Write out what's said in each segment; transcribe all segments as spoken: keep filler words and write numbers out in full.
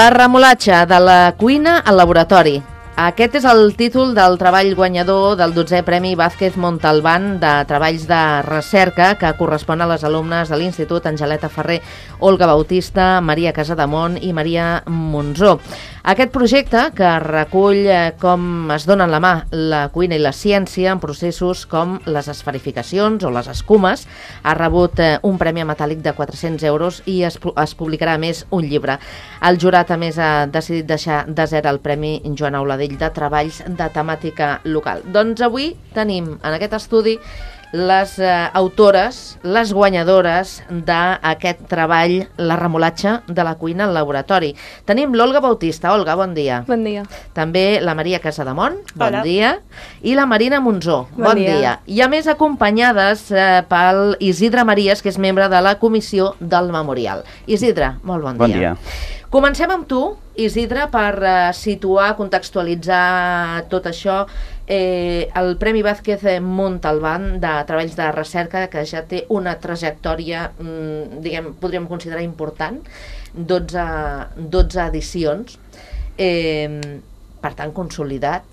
La remolatxa de la cuina al laboratori. Aquest és el títol del treball guanyador del dotzè Premi Vázquez Montalbán de Treballs de Recerca, que correspon a les alumnes de l'Institut Angeleta Ferrer, Olga Bautista, Maria Casademont i Maria Monzó. Aquest projecte, que recull com es donen la mà la cuina i la ciència en processos com les esferificacions o les escumes, ha rebut un premi metàl·lic de quatre-cents euros i es, es publicarà a més un llibre. El jurat, a més, ha decidit deixar desert el Premi Joan Auladell de Treballs de Temàtica Local. Doncs avui tenim en aquest estudi les eh, autores, les guanyadores d'aquest treball, la remolatxa de la cuina al laboratori. Tenim l'Olga Bautista. Olga, bon dia. Bon dia. També la Maria Casademont, bon Hola. dia. I la Marina Monzó, bon, Bon dia. dia. I a més acompanyades eh, pel Isidre Maries, que és membre de la comissió del memorial. Isidre, molt bon, Bon dia. dia. Comencem amb tu, Isidre, per eh, situar, contextualitzar tot això. Eh, el Premi Vázquez Montalbán de Treballs de Recerca, que ja té una trajectòria, mm, diguem, podríem considerar important, dotze, dotze edicions, eh, per tant, consolidat.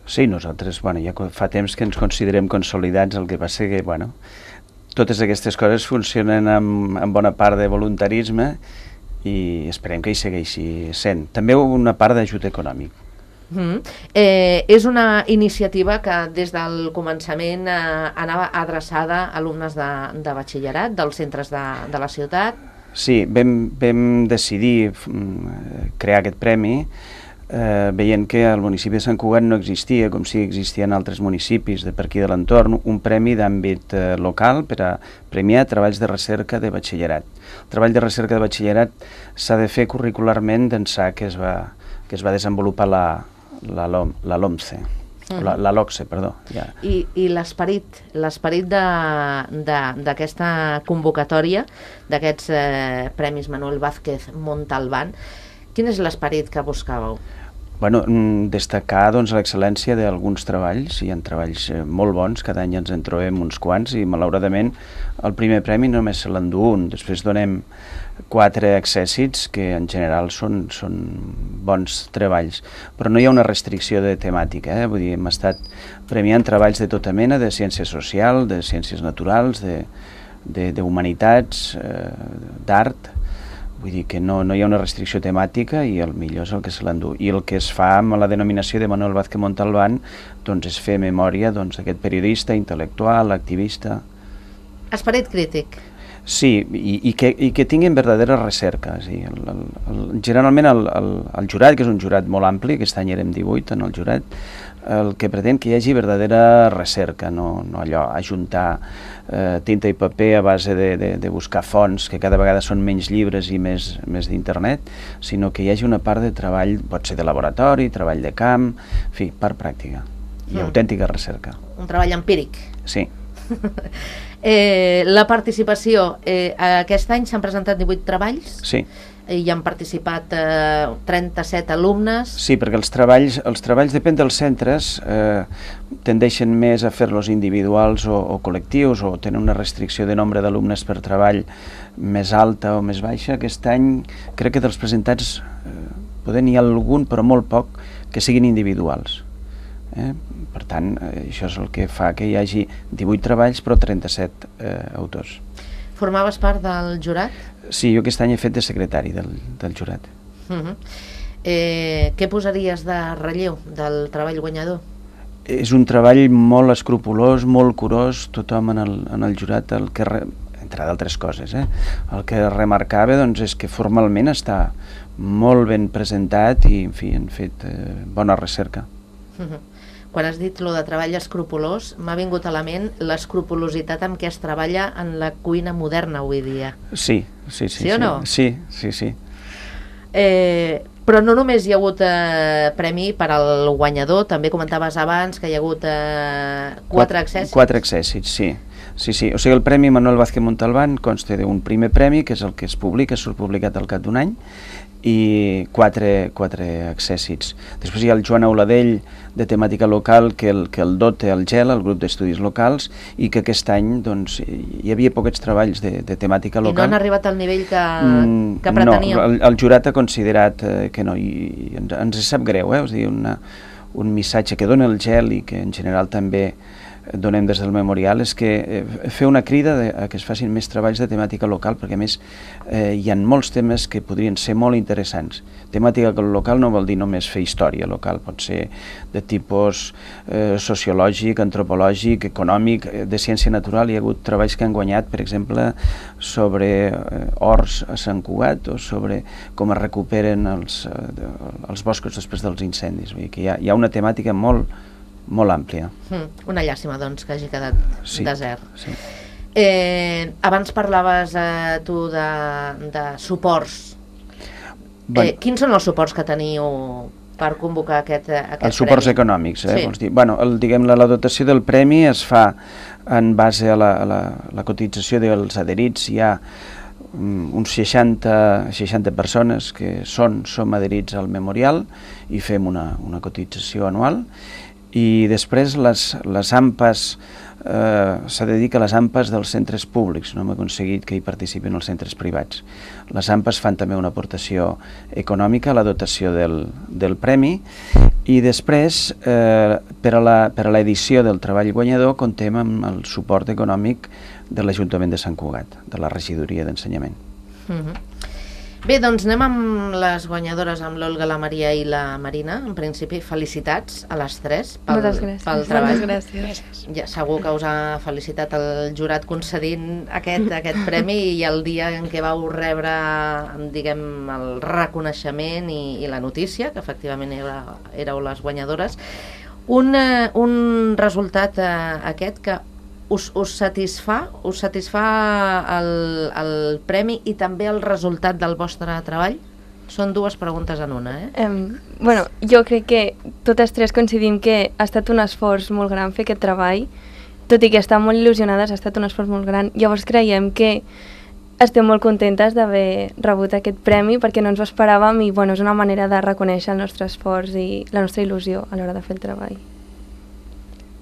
Sí, nosaltres, bueno, ja fa temps que ens considerem consolidats, el que passa que, bueno, totes aquestes coses funcionen amb, amb bona part de voluntarisme i esperem que hi segueixi sent. També una part d'ajut econòmic. Mm. Eh, és una iniciativa que des del començament eh, anava adreçada a alumnes de, de batxillerat dels centres de, de la ciutat. Sí, vam, vam decidir mm, crear aquest premi eh, veient que al municipi de Sant Cugat no existia, com si existia en altres municipis de per aquí de l'entorn, un premi d'àmbit eh, local per a premiar treballs de recerca de batxillerat. El treball de recerca de batxillerat s'ha de fer curricularment d'ençà que es va, que es va desenvolupar la la LOMCE, Mm. la, la LOCSE, perdó. Ja. I, i l'esperit, l'esperit d'aquesta convocatòria, d'aquests eh, Premis Manuel Vázquez Montalbán, quin és l'esperit que buscàveu? Bueno, destacar doncs, l'excel·lència d'alguns treballs. Hi ha treballs molt bons, cada any ens en trobem uns quants i malauradament el primer premi només se l'endú un. Després donem quatre accèssits que en general són, són bons treballs, però no hi ha una restricció de temàtica, eh? Vull dir, hem estat premiant treballs de tota mena, de ciència social, de ciències naturals, de, de, de humanitats, eh, d'art. Vull dir que no, no hi ha una restricció temàtica i el millor és el que se l'endú. I el que es fa amb la denominació de Manuel Vázquez Montalbán doncs és fer memòria doncs, d'aquest periodista, intel·lectual, activista. Esperit crític. Sí, i, i, que, i que tinguin verdadera recerca. Sí. El, el, el, generalment el, el, el jurat, que és un jurat molt ampli, aquest any érem divuit en el jurat, el que pretén que hi hagi verdadera recerca, no, no allò, ajuntar eh, tinta i paper a base de, de, de buscar fonts, que cada vegada són menys llibres i més, més d'internet, sinó que hi hagi una part de treball, pot ser de laboratori, treball de camp, en fi, part pràctica i mm. autèntica recerca. Un treball empíric. Sí. eh, la participació, eh, aquest any s'han presentat divuit treballs? Sí. I hi han participat eh, trenta-set alumnes. Sí, perquè els treballs, els treballs depèn dels centres, eh, tendeixen més a fer-los individuals o, o col·lectius o tenen una restricció de nombre d'alumnes per treball més alta o més baixa. Aquest any crec que dels presentats eh, poder n'hi ha algun, però molt poc, que siguin individuals. Eh? Per tant, eh, això és el que fa que hi hagi divuit treballs però trenta-set eh, autors. Formaves part del jurat? Sí, jo aquest any he fet de secretari del, del jurat. Uh -huh. eh, què posaries de relleu del treball guanyador? És un treball molt escrupolós, molt curós, tothom en el, en el jurat, el que, entre d'altres coses, eh? el que remarcava doncs, és que formalment està molt ben presentat i, en fi, han fet eh, bona recerca. Uh -huh. Quan has dit lo de treball escrupolós, m'ha vingut a la ment l'escrupolositat amb què es treballa en la cuina moderna avui dia. Sí, sí, sí. Sí o no? Sí, sí, sí. Eh, però no només hi ha hagut eh, premi per al guanyador, també comentaves abans que hi ha hagut eh, quatre accèssits. Quatre accèssits, sí. Sí, sí. O sigui, el Premi Manuel Vázquez Montalbán consta d'un primer premi, que és el que es publica, surt publicat al cap d'un any, i quatre, quatre accèssits. Després hi ha el Joan Auladell, de temàtica local, que el, que el dota el GEL, el grup d'estudis locals, i que aquest any doncs, hi havia poquets treballs de, de temàtica local. I no han arribat al nivell que, mm, que preteníeu? No, el, el jurat ha considerat eh, que no, i, i ens, ens sap greu, eh? És a dir, una, un missatge que dona el GEL i que en general també donem des del memorial és que eh, fer una crida de, a que es facin més treballs de temàtica local, perquè a més eh, hi ha molts temes que podrien ser molt interessants. Temàtica local no vol dir només fer història local, pot ser de tipus eh, sociològic, antropològic, econòmic, eh, de ciència natural. Hi ha hagut treballs que han guanyat, per exemple, sobre eh, horts a Sant Cugat o sobre com es recuperen els, eh, els boscos després dels incendis. Vull dir que hi ha, hi ha una temàtica molt molt àmplia. Mm, una llàstima, doncs, que hagi quedat sí, desert. Sí. Eh, abans parlaves eh, tu de, de suports. Bueno, eh, quins són els suports que teniu per convocar aquest, aquest els suports premi? Econòmics, eh? Sí. Vols dir? Bueno, el, diguem, la, la dotació del premi es fa en base a la, a la, la cotització dels adherits. Hi ha um, uns seixanta, seixanta persones que són, som adherits al memorial i fem una, una cotització anual. I després les, les AMPAs, eh, s'ha de dir que les AMPAs dels centres públics, no hem aconseguit que hi participin els centres privats. Les AMPAs fan també una aportació econòmica a la dotació del, del premi i després, eh, per a l'edició del treball guanyador, contem amb el suport econòmic de l'Ajuntament de Sant Cugat, de la regidoria d'ensenyament. Mm-hmm. Bé, doncs anem amb les guanyadores, amb l'Olga, la Maria i la Marina. En principi, felicitats a les tres pel, pel treball. Moltes gràcies. Ja, segur que us ha felicitat el jurat concedint aquest, aquest premi i el dia en què vau rebre, diguem, el reconeixement i, i la notícia, que efectivament era, éreu les guanyadores. Un, eh, un resultat eh, aquest que Us, us satisfà us satisfà el, el premi i també el resultat del vostre treball? Són dues preguntes en una, eh? Um, bueno, jo crec que totes tres coincidim que ha estat un esforç molt gran fer aquest treball, tot i que estan molt il·lusionades, ha estat un esforç molt gran. Llavors creiem que estem molt contentes d'haver rebut aquest premi perquè no ens ho esperàvem i bueno, és una manera de reconèixer el nostre esforç i la nostra il·lusió a l'hora de fer el treball.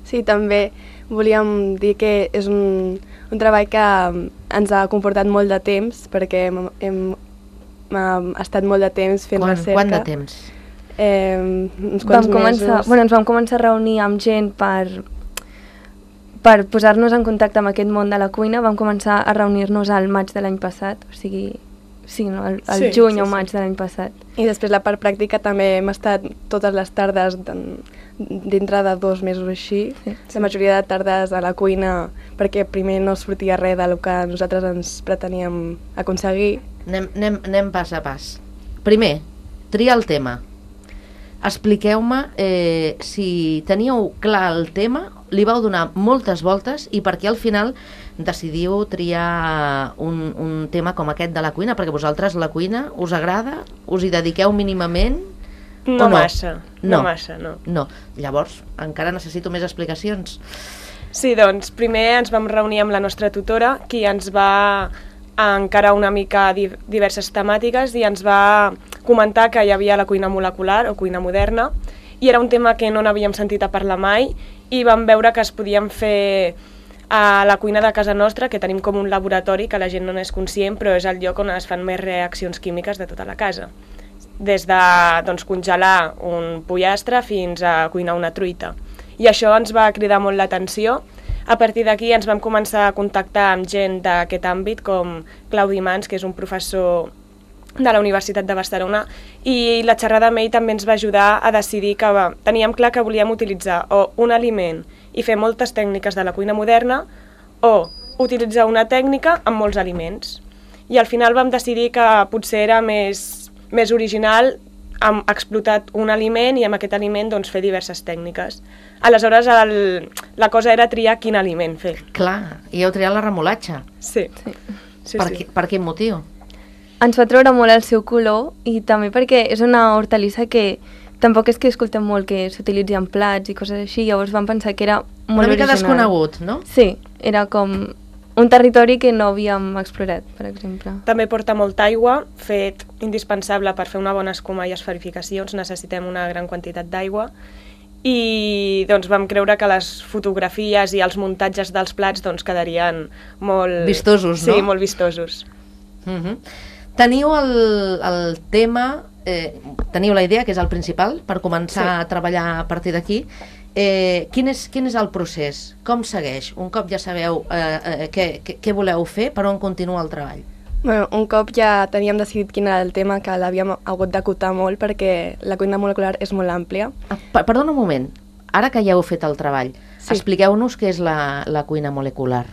Sí, també volíem dir que és un, un treball que ens ha comportat molt de temps, perquè hem, hem, hem estat molt de temps fent Quan, recerca. Quant de temps? Eh, uns quants vam començar, mesos. Bueno, ens vam començar a reunir amb gent per, per posar-nos en contacte amb aquest món de la cuina. Vam començar a reunir-nos al maig de l'any passat, o sigui, sí, no? el, el sí, juny sí, o maig sí. de l'any passat. I després la part pràctica també hem estat totes les tardes dintre de dos mesos així, sí, la majoria de tardes a la cuina, perquè primer no sortia res del que nosaltres ens preteníem aconseguir. Anem, anem, anem pas a pas. Primer, tria el tema. Expliqueu-me eh, si teníeu clar el tema, li vau donar moltes voltes i per què al final decidiu triar un, un tema com aquest de la cuina, perquè vosaltres la cuina us agrada, us hi dediqueu mínimament? No, no massa, no, no massa, no. No, llavors encara necessito més explicacions. Sí, doncs primer ens vam reunir amb la nostra tutora, qui ens va encarar una mica diverses temàtiques i ens va comentar que hi havia la cuina molecular o cuina moderna i era un tema que no n'havíem sentit a parlar mai i vam veure que es podien fer a la cuina de casa nostra, que tenim com un laboratori que la gent no n'és conscient, però és el lloc on es fan més reaccions químiques de tota la casa. Des de doncs, congelar un pollastre fins a cuinar una truita. I això ens va cridar molt l'atenció. A partir d'aquí ens vam començar a contactar amb gent d'aquest àmbit, com Claudi Mans, que és un professor de la Universitat de Barcelona, i la xerrada amb ell també ens va ajudar a decidir que va, teníem clar que volíem utilitzar o un aliment i fer moltes tècniques de la cuina moderna o utilitzar una tècnica amb molts aliments. I al final vam decidir que potser era més, més original hem explotat un aliment i amb aquest aliment doncs, fer diverses tècniques. Aleshores el, la cosa era triar quin aliment fer. Clar, i heu triat la remolatxa. Sí. Sí. sí, per, sí. Qui, per quin motiu? Ens fa treure molt el seu color i també perquè és una hortalissa que tampoc és que escoltem molt que s'utilitzi en plats i coses així, llavors vam pensar que era molt Una mica original. desconegut, no? Sí, era com un territori que no havíem explorat, per exemple. També porta molta aigua, fet indispensable per fer una bona escuma i esferificacions, necessitem una gran quantitat d'aigua, i doncs vam creure que les fotografies i els muntatges dels plats doncs, quedarien molt... Vistosos, no? Sí, molt vistosos. Uh-huh. Teniu el, el tema, eh, teniu la idea, que és el principal, per començar sí. a treballar a partir d'aquí. Eh, quin, és, quin és el procés? Com segueix? Un cop ja sabeu eh, eh, què, què, què voleu fer, per on continua el treball? Bueno, un cop ja teníem decidit quin era el tema, que l'havíem hagut d'acotar molt perquè la cuina molecular és molt àmplia. Ah, perdona un moment, ara que ja heu fet el treball, sí. expliqueu-nos què és la, la cuina molecular.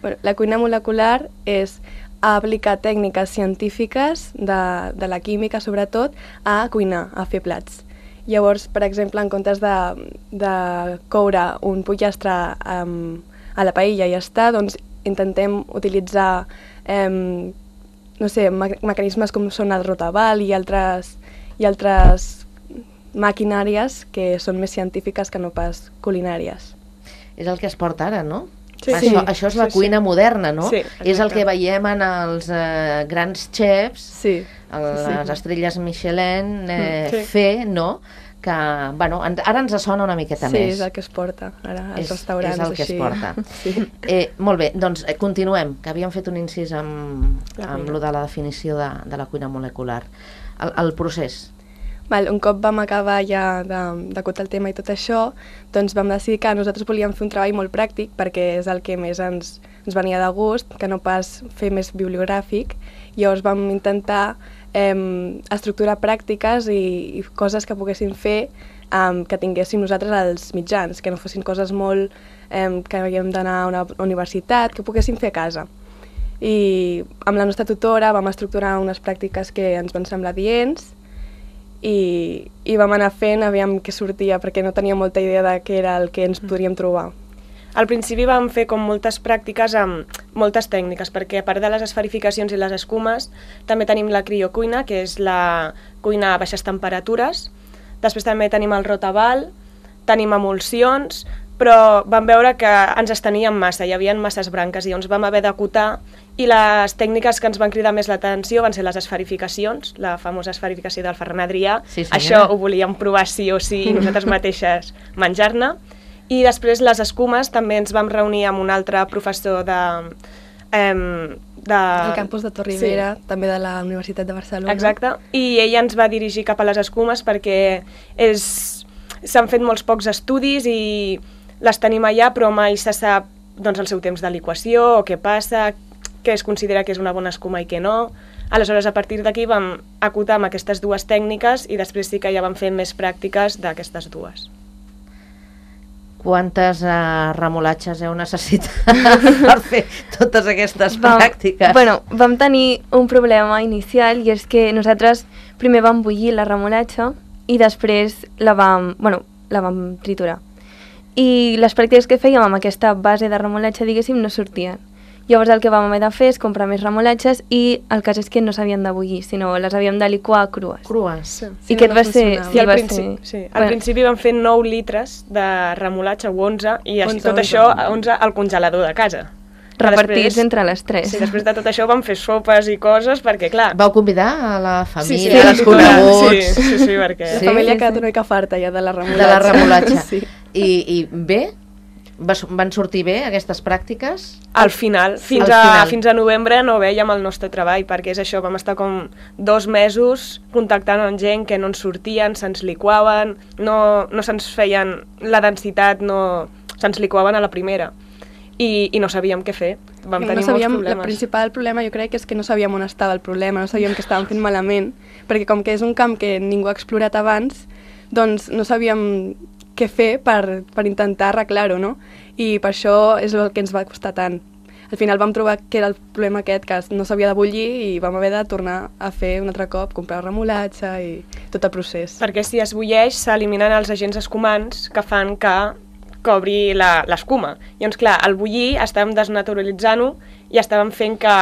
Bueno, la cuina molecular és aplicar tècniques científiques de, de la química, sobretot, a cuinar, a fer plats. Llavors, per exemple, en comptes de, de coure un pollastre um, a la paella i ja està, doncs intentem utilitzar eh, no sé, me mecanismes com són el rotaval i altres, i altres maquinàries que són més científiques que no pas culinàries. És el que es porta ara, no? Sí, això, sí, això és la sí, cuina sí. moderna, no? Sí, és el que veiem en els eh, grans xefs, sí, a les sí. estrelles Michelin, eh, sí. fer, no? Que, bueno, ara ens sona una miqueta sí, més. Sí, és el que es porta ara als és, restaurants. És el que així. es porta. Sí. Eh, molt bé, doncs eh, continuem, que havíem fet un incís amb, amb lo de la definició de, de la cuina molecular. El, el procés. Val, un cop vam acabar ja d'acotar el tema i tot això, doncs vam decidir que nosaltres volíem fer un treball molt pràctic perquè és el que més ens, ens venia de gust, que no pas fer més bibliogràfic. Llavors vam intentar eh, estructurar pràctiques i, i coses que poguéssim fer eh, que tinguéssim nosaltres als mitjans, que no fossin coses molt eh, que havíem d'anar a una universitat, que poguéssim fer a casa. I amb la nostra tutora vam estructurar unes pràctiques que ens van semblar adients, I, i vam anar fent, aviam què sortia, perquè no tenia molta idea de què era el que ens podríem trobar. Al principi vam fer com moltes pràctiques amb moltes tècniques, perquè a part de les esferificacions i les escumes, també tenim la criocuina, que és la cuina a baixes temperatures. Després també tenim el rotaval, tenim emulsions, però vam veure que ens esteníem massa, hi havia masses branques i llavors vam haver d'acotar, i les tècniques que ens van cridar més l'atenció van ser les esferificacions, la famosa esferificació del Ferran Adrià. Sí, sí, això ja. Ho volíem provar sí o sí, nosaltres mateixes menjar-ne. I després les escumes també ens vam reunir amb un altre professor de... Eh, de... El campus de Torribera, sí. També de la Universitat de Barcelona. Exacte, i ella ens va dirigir cap a les escumes perquè és... s'han fet molts pocs estudis i les tenim allà, però mai se sap doncs, el seu temps de liquació, o què passa, què es considera que és una bona escuma i què no. Aleshores, a partir d'aquí vam acotar amb aquestes dues tècniques i després sí que ja vam fer més pràctiques d'aquestes dues. Quantes uh, remolatges heu necessitat per fer totes aquestes vam, pràctiques? Bueno, vam tenir un problema inicial i és que nosaltres primer vam bullir la remolatxa i després la vam, bueno, la vam triturar. I les pràctiques que fèiem amb aquesta base de remolatxa, diguéssim, no sortien. Llavors el que vam haver de fer és comprar més remolatxes i el cas és que no s'havien de bullir, sinó les havíem de liquar crues. Crues. Sí. I aquest no va ser... funcionava. Sí, I al, va principi, ser... sí. al bueno. principi vam fer nou litres de remolatxa, o onze, i onze, tot onze. això onze al congelador de casa. Repartits Després- entre les tres. Sí, després de tot això vam fer sopes i coses, perquè clar... Vau convidar a la Sí, sí, família, la als tutora, coneguts, Sí, sí, sí, perquè... La Sí? família sí, ha quedat sí. una mica farta ja de la remolatxa. de la remolatxa. Sí. I, I bé? Va, van sortir bé aquestes pràctiques? Al final, fins, Al a, final. fins a novembre no vèiem el nostre treball, perquè és això, vam estar com dos mesos contactant amb gent que no ens sortien, se'ns liquaven, no, no se'ns feien la densitat, no se'ns liquaven a la primera. I, i no sabíem què fer, vam No tenir sabíem, molts el problemes. principal problema jo crec que és que no sabíem on estava el problema, no sabíem que estàvem fent malament, perquè com que és un camp que ningú ha explorat abans, doncs no sabíem què fer per, per intentar arreglar-ho, no? I per això és el que ens va costar tant. Al final vam trobar que era el problema aquest, que no s'havia de bullir i vam haver de tornar a fer un altre cop, comprar remolatxa i tot el procés. Perquè si es bulleix s'eliminen els agents escumants que fan que cobri la- l'escuma. Llavors, clar, al bullir estàvem desnaturalitzant-ho i estàvem fent que,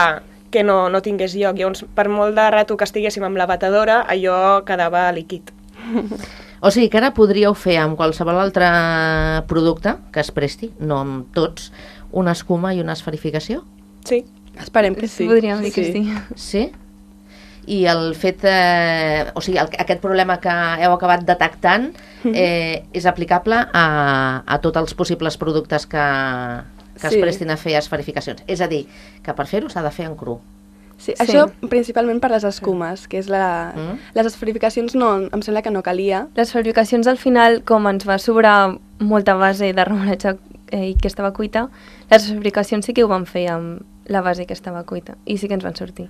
que no, no tingués lloc. Llavors, per molt de rato que estiguéssim amb la batedora, allò quedava líquid. O sigui que ara podríeu fer amb qualsevol altre producte que es presti, no amb tots, una escuma i una esferificació? Sí. Esperem que sí. Podríem dir que sí. Sí? I el fet, eh, o sigui, el, aquest problema que heu acabat detectant eh, és aplicable a, a tots els possibles productes que, que es Sí. prestin a fer esferificacions. És a dir, que per fer-ho s'ha de fer en cru. Sí, Sí. això principalment per les escumes, que és la... Mm. Les esferificacions no, em sembla que no calia. Les fabricacions al final, com ens va sobrar molta base de remolatge eh, que estava cuita, les fabricacions sí que ho van fer amb la base que estava cuita i sí que ens van sortir.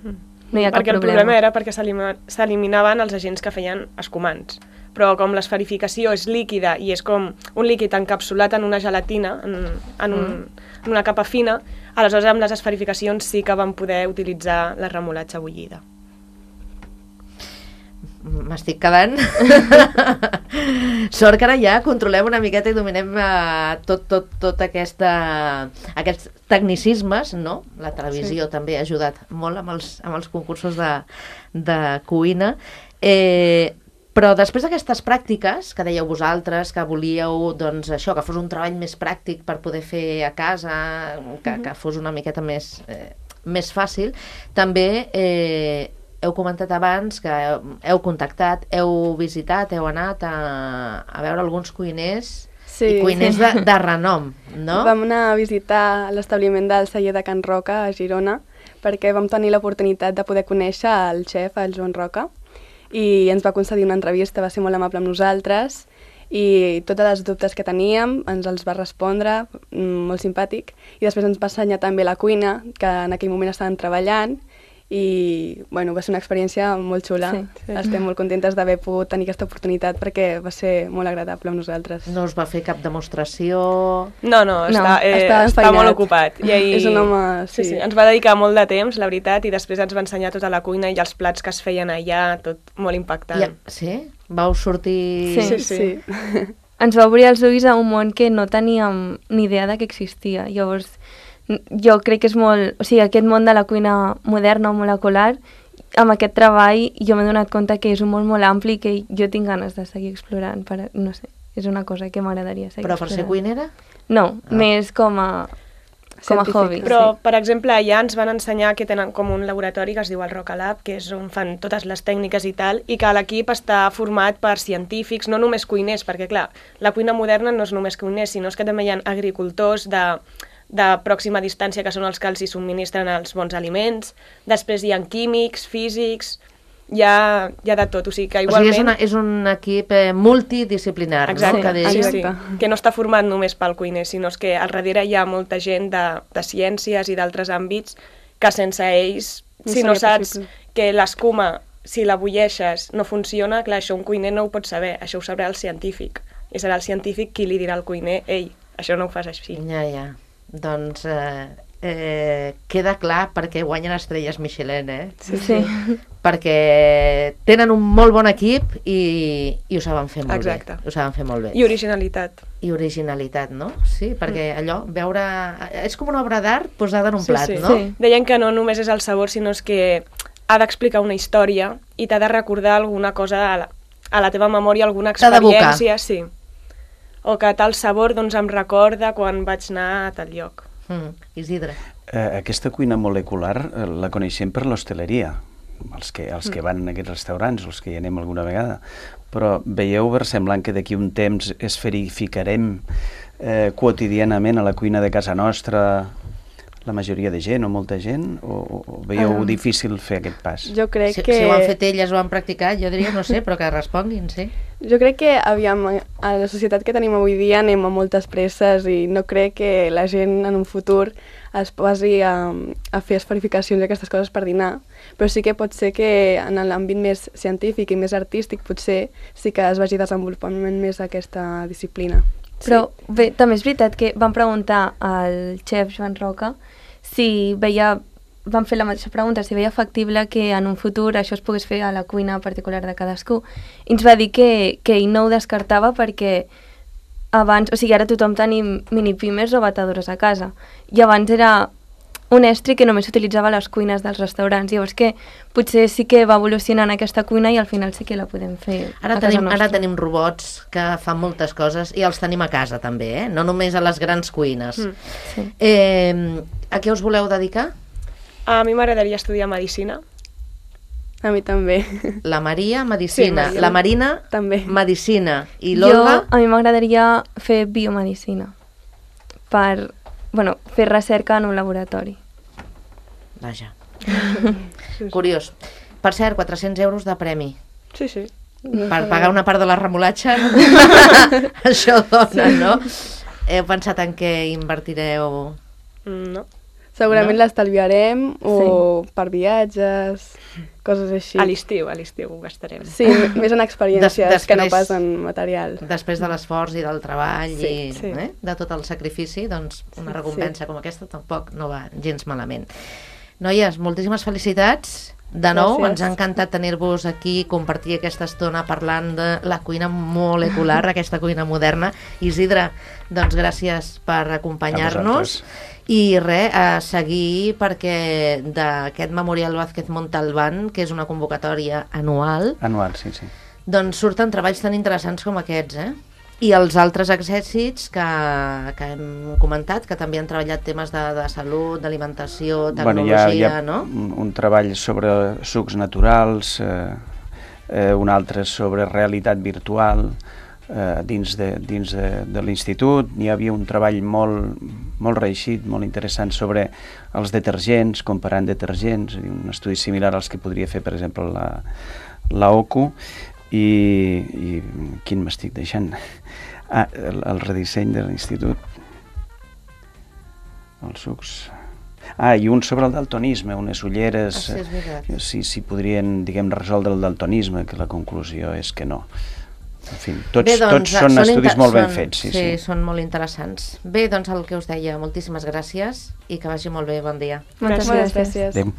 No hi ha cap Perquè el problema. problema era perquè s'elima- s'eliminaven els agents que feien escumants. Però com l'esferificació és líquida i és com un líquid encapsulat en una gelatina, en, en, un, en una capa fina, aleshores amb les esferificacions sí que vam poder utilitzar la remolatxa bullida. M'estic quedant. Sort que ara ja controlem una miqueta i dominem uh, tot, tot, tot aquesta, aquests tecnicismes, no? La televisió sí. també ha ajudat molt amb els, amb els concursos de, de cuina. Eh, però després d'aquestes pràctiques, que dèieu vosaltres, que volíeu doncs, això, que fos un treball més pràctic per poder fer a casa, que, mm-hmm. que fos una miqueta més, eh, més fàcil, també... Eh, heu comentat abans que heu contactat, heu visitat, heu anat a, a veure alguns cuiners Sí. i cuiners de, de renom, no? Vam anar a visitar l'establiment del celler de Can Roca a Girona perquè vam tenir l'oportunitat de poder conèixer el xef, el Joan Roca, i ens va concedir una entrevista, va ser molt amable amb nosaltres i tots els dubtes que teníem ens els va respondre, molt simpàtic, i després ens va ensenyar també la cuina, que en aquell moment estaven treballant, i bueno, va ser una experiència molt xula. Sí, sí. Estem molt contentes d'haver pogut tenir aquesta oportunitat perquè va ser molt agradable amb nosaltres. No us va fer cap demostració... No, no, està, eh, està està enfeinat. molt ocupat. I ahir... És un home... Sí. Sí. sí, ens va dedicar molt de temps, la veritat, i després ens va ensenyar tota la cuina i els plats que es feien allà, tot molt impactant. I, sí? Vau sortir... Sí. Sí, sí. sí. Ens va obrir els ulls a un món que no teníem ni idea de que existia. Llavors, jo crec que és molt... O sigui, aquest món de la cuina moderna o molecular, amb aquest treball jo m'he donat compte que és un món molt ampli i que jo tinc ganes de seguir explorant. Per, no sé, és una cosa que m'agradaria seguir Però per ser explorant. cuinera? No, Ah. més com a, com a Científica. hobby. Però, sí. per exemple, allà ens van ensenyar que tenen com un laboratori que es diu el Roca Lab, que és on fan totes les tècniques i tal, i que l'equip està format per científics, no només cuiners, perquè, clar, la cuina moderna no és només cuiners, sinó és que també hi ha agricultors de, de pròxima distància, que són els que els hi subministren els bons aliments, després hi ha químics, físics, hi ha, hi ha de tot, o sigui que O sigui, igualment... és, una, és un equip eh, multidisciplinar, Exacte, no? Que sí, dèiem. sí, Exacte. que no està format només pel cuiner, sinó és que al darrere hi ha molta gent de, de ciències i d'altres àmbits que sense ells, No si no seria saps possible. que l'escuma, si la bulleixes, no funciona, clar, això un cuiner no ho pot saber, això ho sabrà el científic, i serà el científic qui li dirà al cuiner, ei, això no ho fas així. Ja, ja. Doncs eh, eh, queda clar perquè guanyen estrelles Michelin, eh? Sí, sí. Perquè tenen un molt bon equip i, i ho saben fer molt Exacte. bé. Ho saben fer molt bé. I originalitat. I originalitat, no? Sí, perquè allò, veure... És com una obra d'art posada en un Sí, plat, sí. no? Sí. Deien que no només és el sabor, sinó és que ha d'explicar una història i t'ha de recordar alguna cosa a la, a la teva memòria, alguna T'ha d'evocar. experiència, sí. O que tal sabor doncs, em recorda quan vaig anar a tal lloc. Mm, Isidre. Eh, aquesta cuina molecular eh, la coneixem per l'hostaleria, els que, els que van a aquests restaurants, els que hi anem alguna vegada, però veieu versemblant que d'aquí un temps esferificarem eh, quotidianament a la cuina de casa nostra la majoria de gent o molta gent, o, o, o veieu Um, difícil fer aquest pas? Jo crec Si, que... si ho han fet elles, ho han practicat, jo diria, no sé, però que responguin, sí. Jo crec que, aviam, a la societat que tenim avui dia anem a moltes presses i no crec que la gent en un futur es posi a, a fer esferificacions i aquestes coses per dinar, però sí que pot ser que en l'àmbit més científic i més artístic potser sí que es vagi desenvolupant més aquesta disciplina. Però bé, també és veritat que vam preguntar al xef Joan Roca si veia, vam fer la mateixa pregunta, si veia factible que en un futur això es pogués fer a la cuina particular de cadascú. I ens va dir que, que ell no ho descartava perquè abans, o sigui, ara tothom tenim minipimes o batedores a casa, i abans era un estri que només s'utilitzava a les cuines dels restaurants. Llavors que potser sí que va evolucionant aquesta cuina i al final sí que la podem fer Ara a casa tenim, nostra. ara tenim robots que fan moltes coses i els tenim a casa també, eh? No només a les grans cuines. Mm. Sí. Eh, a què us voleu dedicar? A mi m'agradaria estudiar Medicina. A mi també. La Maria, Medicina. Sí, Maria. La Marina, També. Medicina. I Jo, l'Olga? a mi m'agradaria fer biomedicina per, bueno, fer recerca en un laboratori. Vaja. Curiós. Per cert, quatre-cents euros de premi. Sí, sí. Per pagar una part de la remolatxa. Això dona, no? Heu pensat en què invertireu? Mm, no. Segurament No? l'estalviarem o per viatges, coses així. A l'estiu, a l'estiu ho gastarem. Sí, m- més en experiències Des- que no després- pas en material. Després de l'esforç i del treball Sí, i sí. Eh, de tot el sacrifici, doncs una Sí, recompensa com aquesta tampoc no va gens malament. Noies, moltíssimes felicitats. De nou, Gràcies. ens ha encantat tenir-vos aquí, compartir aquesta estona parlant de la cuina molecular, aquesta cuina moderna. Isidre, doncs gràcies per acompanyar-nos. I res, a seguir perquè d'aquest Memorial Vázquez Montalbán, que és una convocatòria anual, Anual, sí, sí. doncs surten treballs tan interessants com aquests, eh? I els altres èxits que, que hem comentat, que també han treballat temes de, de salut, d'alimentació, tecnologia, bueno, hi ha, hi ha no? un, un treball sobre sucs naturals, eh, eh, un altre sobre realitat virtual eh, dins de, dins de, de l'institut. Hi havia un treball molt, molt reeixit, molt interessant sobre els detergents, comparant detergents, un estudi similar als que podria fer, per exemple, la, la O C U. I, i quin m'estic deixant? Ah, el, el redisseny de l'institut. Els sucs... Ah, i un sobre el daltonisme, unes ulleres... Ah, sí, és veritat. eh, si, si podrien, diguem, resoldre el daltonisme, que la conclusió és que no. En fi, tots, Bé, doncs, tots són estudis inter- molt ben són- fets. Sí, sí, sí. són molt interessants. Bé, doncs el que us deia, moltíssimes gràcies i que vagi molt bé, bon dia. Moltes Moltes gràcies. gràcies. Adéu.